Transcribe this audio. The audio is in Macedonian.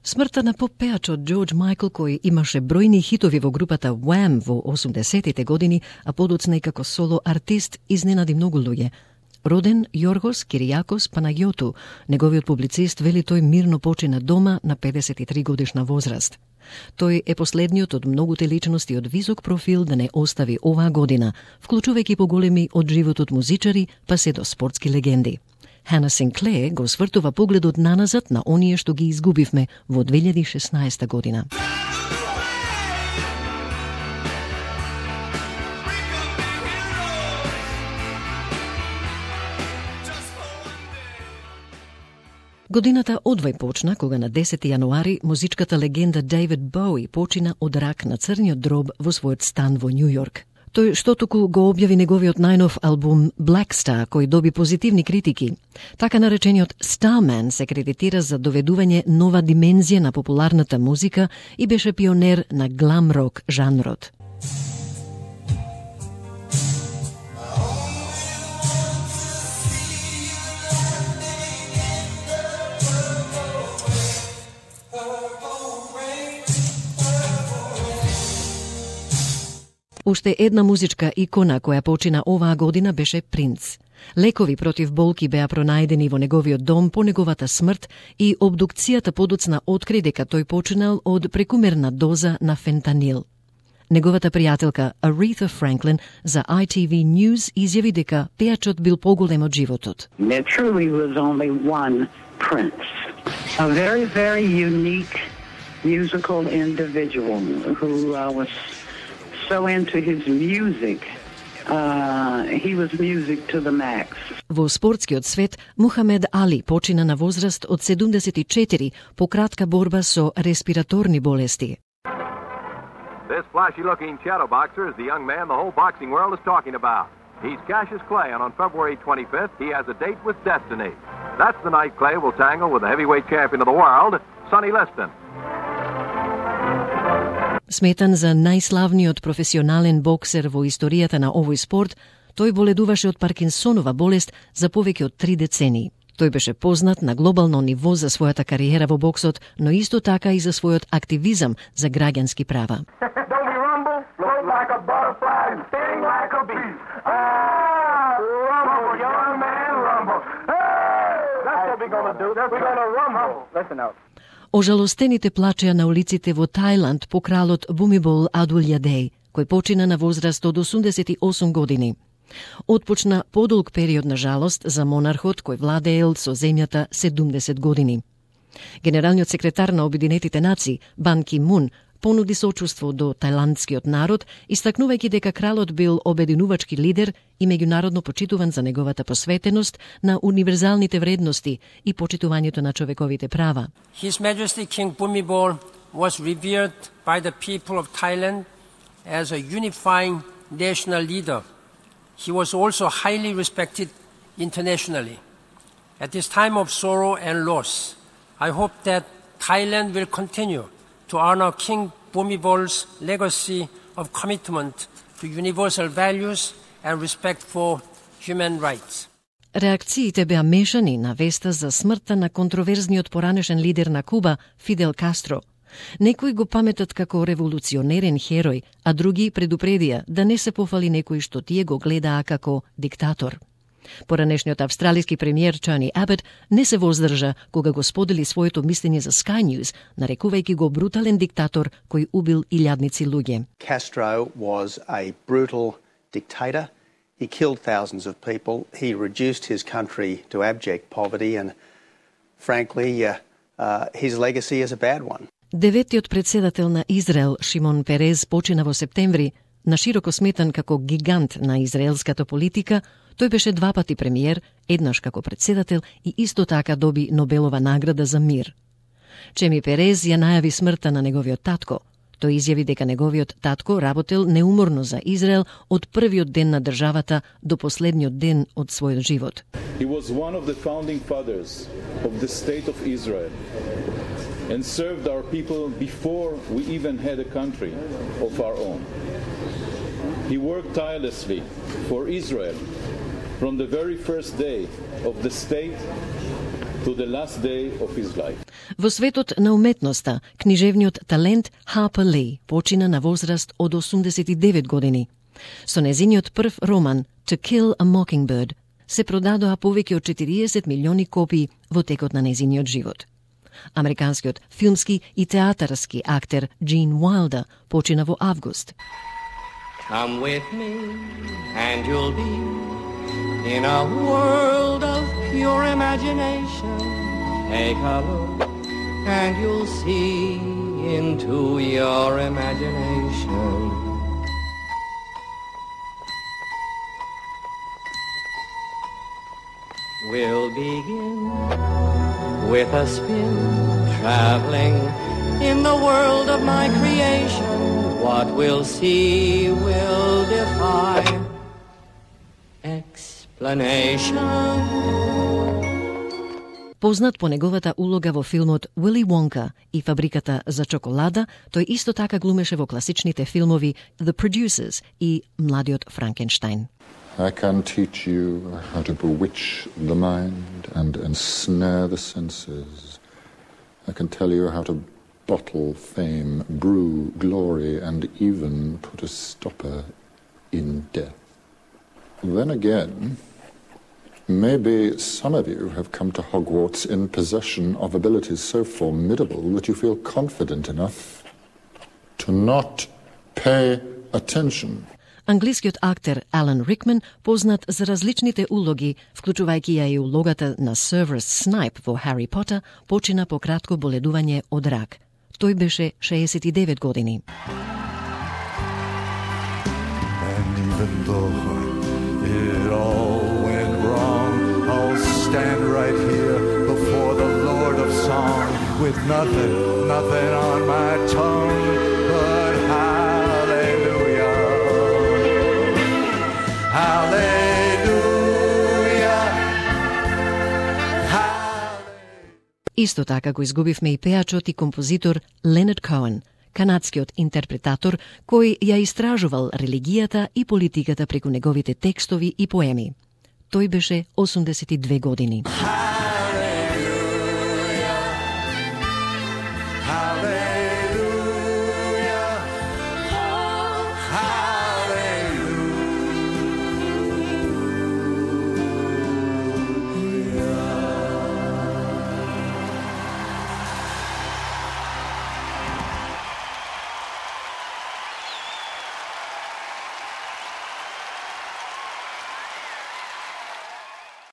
Смртта на поп-пеачот Джордж Майкл, кој имаше бројни хитови во групата Wham во 80-тите години, а подоцна и како соло артист, изненади многу луѓе. Роден Јоргос Киријакос Панагиоту, неговиот публицист вели тој мирно почина дома на 53 годишна возраст. Тој е последниот од многуте личности од висок профил да не остави оваа година, вклучувајќи поголеми од животот музичари, па се до спортски легенди. Хана Синклер го свртува погледот наназад на оние што ги изгубивме во 2016 година. Годината одвај почна кога на 10 јануари музичката легенда Дейвид Боуи почина од рак на црниот дроб во својот стан во Њу Јорк. Тој што току го објави неговиот најнов албум Black Star, кој доби позитивни критики. Така наречениот Starman се кредитира за доведување нова димензија на популарната музика и беше пионер на глам рок жанрот. Уште една музичка икона која почина оваа година беше Принц. Лекови против болки беа пронајдени во неговиот дом по неговата смрт и обдукцијата подоцна откри дека тој починал од прекумерна доза на фентанил. Неговата пријателка Aretha Franklin за ITV News изјави дека пеачот бил поголем од животот. There truly was only one Prince. A very, very unique musical individual who was so into his music. He was music to the max. Во спортскиот свет, Мухамед Али почина на возраст од 74 по кратка борба со респираторни болести. This flashy-looking shadow boxer is the young man the whole boxing world is talking about. He's Cassius Clay, and on February 25th, he has a date with destiny. That's the night Clay will tangle with the heavyweight champion of the world, Sonny Liston. Сметан за најславниот професионален боксер во историјата на овој спорт, тој боледуваше од Паркинсонова болест за повеќе од 3 децении. Тој беше познат на глобално ниво за својата кариера во боксот, но исто така и за својот активизам за граѓански права. Ожалостените плачеа на улиците во Тајланд по кралот Бумибол Адулјадеј, кој почина на возраст од 88 години. Отпочна подолг период на жалост за монархот кој владеел со земјата 70 години. Генералниот секретар на Обединетите нации, Бан Ки Мун, понуди сочувство до тајландскиот народ, истакнувајќи дека кралот бил обединувачки лидер и меѓународно почитуван за неговата посветеност на универзалните вредности и почитувањето на човековите права. His Majesty King Bhumibol was revered by the people of Thailand as a unifying national leader. He was also highly respected internationally. At this time of sorrow and loss, I hope that Thailand will continue to honor King Bhumibol's legacy of commitment to universal values and respect for human rights. Реакциите беа мешани на веста за смртта на контроверзниот поранешен лидер на Куба, Фидел Кастро. Некои го паметат како револуционерен херој, а други предупредија да не се пофали некој што тие го гледаа како диктатор. Поранешниот австралиски премиер Тони Абот не се воздржа кога го сподели своето мислење за Sky News, нарекувајќи го брутален диктатор кој убил илјадници луѓе. Castro was a brutal dictator. He killed thousands of people. He reduced his country to abject poverty and frankly his legacy is a bad one. Деветиот председател на Израел, Шимон Перез, почина во септември, нашироко сметан како гигант на израелската политика. Тој беше 2 пати премиер, еднаш како председател и исто така доби Нобелова награда за мир. Чеми Перез ја најави смртта на неговиот татко. Тој изјави дека неговиот татко работел неуморно за Израел од првиот ден на државата до последниот ден од својот живот. He was one of the founding fathers of the state of Israel and served our people before we even had a country of our own. He worked tirelessly for Israel from the very first day of the state to the last day of his life. Во светот на уметноста, книжевниот талент Harper Lee почина на возраст од 89 години. Со незиниот прв роман To Kill a Mockingbird се продадоа повеќе од 40 милиони копии во текот на незиниот живот. Американскиот филмски и театарски актер Gene Wilder почина во август. Come with me and you'll be in a world of pure imagination. Take a look and you'll see into your imagination. We'll begin with a spin, traveling in the world of my creation. What we'll see will defy explanation. Познат по неговата улога во филмот Уили Вонка и фабриката за чоколада, тој исто така глумеше во класичните филмови The Producers и Младиот Франкенштайн. I can teach you how to bewitch the mind and ensnare the senses. I can tell you how to bottle fame, brew glory, and even put a stopper in death. Then again, maybe some of you have come to Hogwarts in possession of abilities so formidable that you feel confident enough to not pay attention. Англискиот актер Алан Рикман, познат за различните улоги, вклучувајќи ја и улогата на Severus Snape во Harry Potter, почина по кратко боледување од рак. Тој беше 69 години. And even though it all went wrong, I'll stand right here before the Lord of Song with nothing on my tongue but hallelujah. Hallelujah. Исто така го изгубивме и пеачот и композитор Ленард Коен, канадскиот интерпретатор кој ја истражувал религијата и политиката преку неговите текстови и поеми. Тој беше 82 години.